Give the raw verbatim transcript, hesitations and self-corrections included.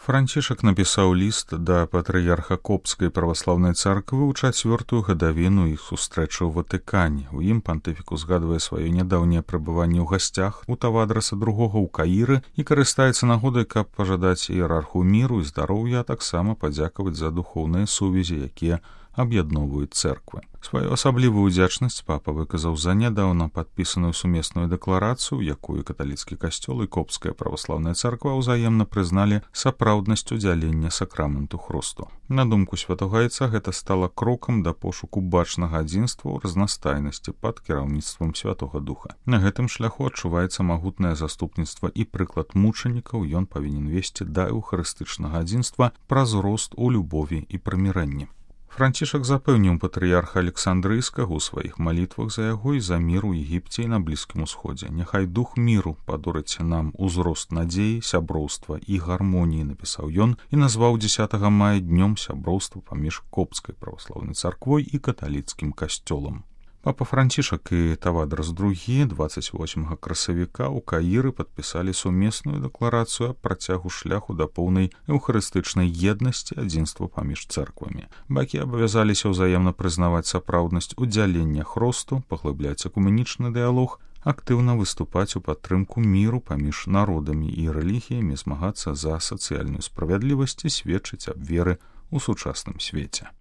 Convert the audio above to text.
Францішак напісаў ліст да патрыярха Копскай праваслаўнай царквы ў чацвёртую гадавіну іх сустрэчы ў Ватыкане. У ім пантыфік узгадвае сваё нядаўняе прабыванне ў гасцях у Тавадраса другога ў Каіры і карыстаецца нагодай, каб пажадаць іерарху міру і здароўя, а таксама падзякаваць за духоўныя сувязі, якія аб'ядноўваюць цэрквы. Сваю асаблівую ўдзячнасць папа выказаў за нядаўна падпісаную сумесную дэкларацыю, якую каталіцкі касцёл і Копская праваслаўная царква ўзаемна прызналі сапраўднасць удзялення сакраменту хрусту. На думку святога айца, гэта стала крокам да пошуку бачнага адзінства ў разнастайнасці пад кіраўніцтвам Святога Духа. На гэтым шляху адчуваецца магутнае заступніцтва і прыклад мучанікаў, ён павінен весці да эўхарыстычнага адзінства праз рост у любові і прымірэнні. Францішак запэўніў патрыярха Александрыйскага ў сваіх малітвах за яго і за мір у Егіпце і на Блізкім Усходзе. Няхай дух міру падорыць нам узрост надзеі, сяброўства і гармоніі, напісаў ён і назваў дзесятага мая днём сяброўства паміж Копскай праваслаўнай царквой і каталіцкім касцёлам. Папа Францішак і Тавадрас другі дваццаць восьмага красавіка ў Каіры падпісалі сумесную дэкларацыю аб працягу шляху да поўнай эўхарыстычнай еднасці, адзінства паміж цэрквамі. Бакі абавязаліся ўзаемна прызнаваць сапраўднасць удзялення хросту, паглыбляць экуменічны дыялог, актыўна выступаць у падтрымку міру паміж народамі і рэлігіямі, змагацца за сацыяльную справядлівасць і сведчыць аб веры ў сучасным свеце.